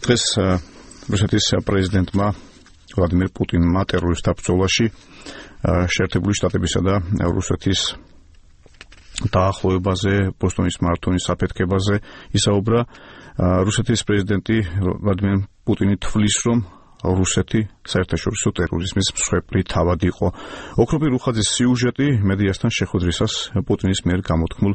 დღეს რუსეთის პრეზიდენტმა ვლადიმერ პუტინმა ტერორისტთა ბრძოლაში შეერთებული შტატებისა და რუსეთის დაახლოებაზე, ბოსტონის მარათონის საფეთქებაზე ისაუბრა. რუსეთის პრეზიდენტი ვლადიმერ პუტინი თვლის, რომ რუსეთი საერთაშორისო ტერორიზმის მსხვერპლი თავად იყო. ოქროპი რუხაძის სიუჟეტი მედიასთან შეხვედრისას პუტინის მიერ გამოთქმულ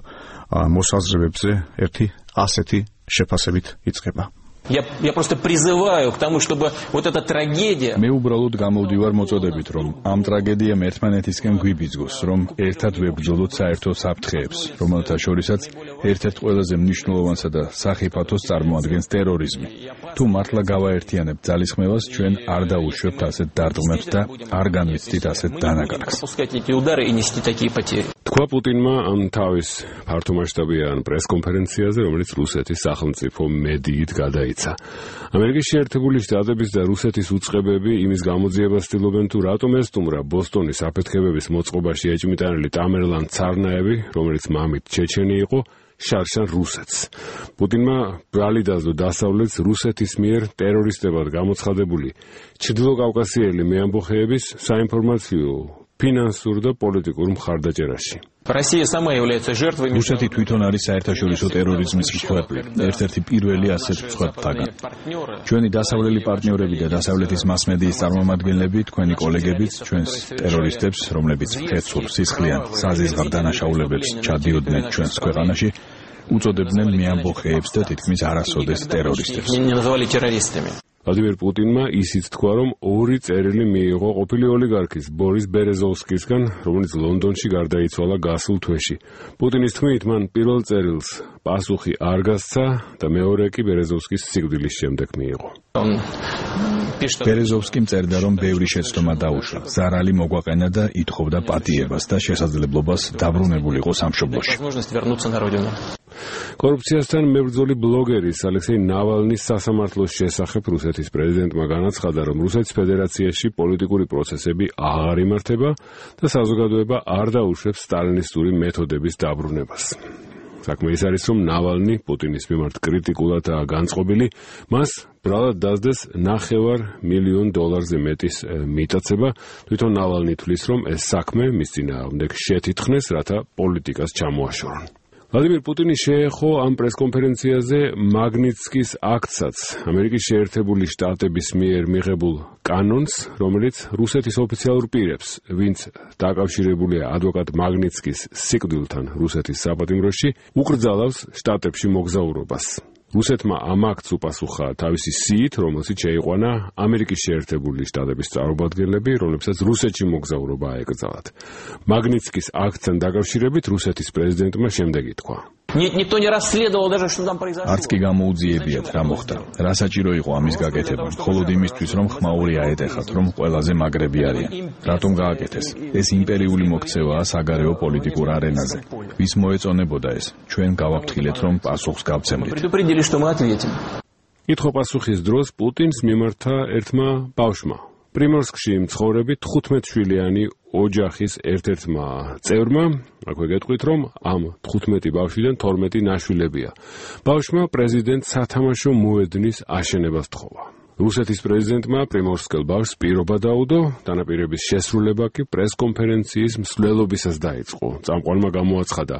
მოსაზრებებზე ერთი ასეთი შეფასებით იწყება. Я просто призываю к тому, чтобы вот эта трагедия. მე უბრალოდ გამოვდივარ მოწოდებით, რომ ამ ტრაგედიამ ერთმანეთისკენ გვიბიძგოს, რომ ერთად ვებრძოლოთ საერთო საფრთხეებს, რომელთა შორისაც ერთ-ერთ ყველაზე მნიშვნელოვანსა და სახიფათოს წარმოადგენს ტერორიზმი. თუ მართლა გავაერთიანებთ ძალისხმევას, ჩვენ არ დაუშვებთ ასეთ დარტყმებს და არ განვიცდით ასეთ დანაკარგს. თქვა პუტინმა ამ თავის ფართომასშტაბიან პრესკონფერენციაზე, რომელიც რუსეთის სახელმწიფო მედიით გადაიცა. ამერიკის შეერთებული შტატების და რუსეთის უწყებები იმის გამოძიებას ცდილობენ, თუ რატომ ესტუმრა ბოსტონის საფეთქებების მოწყობაში ეჭმიტანილი ტამერლან ცარნაევი, რომელიც მამით ჩეჩენი იყო, შარშან რუსეთს. პუტინმა ბრალი დაძლო დასავლეთს რუსეთის მიერ ტერორისტებად გამოცხადებული ჩრდილოკავკასიელი მეამბოხეების საინფორმაციო, ფინანსურ და პოლიტიკურ მხარდაჭერაში. რუსეთი თვითონ არის საერთაშორისო ტერორიზმის მსხვერპლი, ერთ-ერთი პირველი ასეთ მსხვერპლთაგან. ჩვენი დასავლელი პარტნიორები და დასავლეთის მასმედიის წარმომადგენლები, თქვენი კოლეგებიც, ჩვენს ტერორისტებს, რომლებიც მკეცურ, სისხლიან, საზიზღარ დანაშაულებებს ჩადიოდნენ ჩვენს ქვეყანაში, უწოდებდნენ მეამბოხეებს და თითქმის არასოდეს ტერორისტებს. ვლადიმერ პუტინმა ისიც თქვა, რომ ორი წერილი მიიღო ყოფილი ოლიგარქის ბორის ბერეზოვსკისგან, რომელიც ლონდონში გარდაიცვალა გასულ თვეში. პუტინის თქმით, მან პირველ წერილს პასუხი არ გასცა და მეორე კი ბერეზოვსკის სიკვდილის შემდეგ მიიღო. ბერეზოვსკიმ წერდა, რომ ბევრი შეცდომა დაუშვა, ზარალი მოგვაყენა და ითხოვდა პატიებას და შესაძლებლობას დაბრუნებულიყო სამშობლოში. კორუფციასთან მებრძოლი ბლოგერის ალექსეი ნავალნის სასამართლოს შესახებ რუსეთის პრეზიდენტმა განაცხადა, რომ რუსეთის ფედერაციაში პოლიტიკური პროცესები აღარ იმართება და საზოგადოება არ დაუშვებს სტალინისტური მეთოდების დაბრუნებას. საქმე ის არის, რომ ნავალნი პუტინის მიმართ კრიტიკულადაა განწყობილი, მას ბრალად დასდეს $500,000 მეტის მიტაცება. თვითონ ნავალნი თვლის, რომ ეს საქმე მის წინააღმდეგ შეთითხნეს, რათა პოლიტიკას ჩამოაშორონ. ვლადიმერ პუტინი შეეხო ამ პრესკონფერენციაზე მაგნიცკის აქტსაც, ამერიკის შეერთებული შტატების მიერ მიღებულ კანონს, რომელიც რუსეთის ოფიციალურ პირებს, ვინც დაკავშირებულია ადვოკატ მაგნიცკის სიკვდილთან რუსეთის საპატიმროში, უკრძალავს შტატებში მოგზაურობას. რუსეთმა ამ აქტს უპასუხა თავისი სიით, რომელსაც შეიყვანა ამერიკის შეერთებული შტატების წარმომადგენლები, რომლებსაც რუსეთში მოგზაურობა აეკრძალათ. მაგნიცკის აქტთან დაკავშირებით რუსეთის პრეზიდენტმა შემდეგი თქვა. არც კი გამოუძიებიათ რა მოხდა. რა საჭირო იყო ამის გაკეთება, მხოლოდ იმისთვის, რომ ხმაური აეტეხათ, რომ ყველაზე მაგრები არიან. რატომ გააკეთეს? ეს იმპერიული მოქცევაა საგარეო პოლიტიკურ არენაზე. ვის მოეწონებოდა ეს? ჩვენ გავაფრთხილეთ, რომ პასუხს გავცემდით. კითხვა-პასუხის დროს პუტინს მიმართა ერთმა ბავშვმა. პრიმორსკში მცხოვრები 15-შვილიანი ოჯახის ერთ-ერთმა წევრმა, აქვე გეტყვით, რომ ამ 15 ბავშვიდან 12 ნაშვილებია. ბავშვმა პრეზიდენტ სათამაშო მოედნის აშენებას თხოვა. რუსეთის პრეზიდენტმა პრიმორსკელ ბავშვს პირობა დაუდო, დანაპირების შესრულება კი პრესკონფერენციის მსვლელობისას დაიწყო. წამყვანმა გამოაცხადა,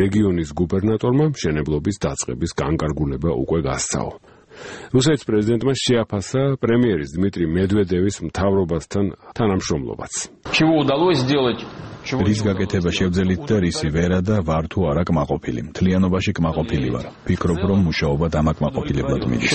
რეგიონის გუბერნატორმა მშენებლობის დაწყების განკარგულება უკვე გასცაო. რუსეთის პრეზიდენტმა შეაფასა პრემიერის დმიტრი მედვედევის მთავრობასთან თანამშრომლობაც. რის გაკეთება შევძელით და რისი ვერა და ვარ თუ არა კმაყოფილი. მთლიანობაში კმაყოფილი ვარ. ვფიქრობ, რომ მუშაობა დამაკმაყოფილებლად მიდის.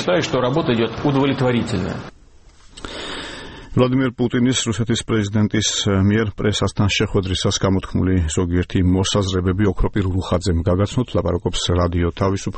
ვლადიმერ პუტინის რუსეთის პრეზიდენტის მიერ პრესასთან შეხვედრისას გამოთქმული ზოგიერთი მოსაზრებები ოქროპირ რუხაძემ გაგაცნოთ, ლაპარაკობს რადიო თავისუფლება.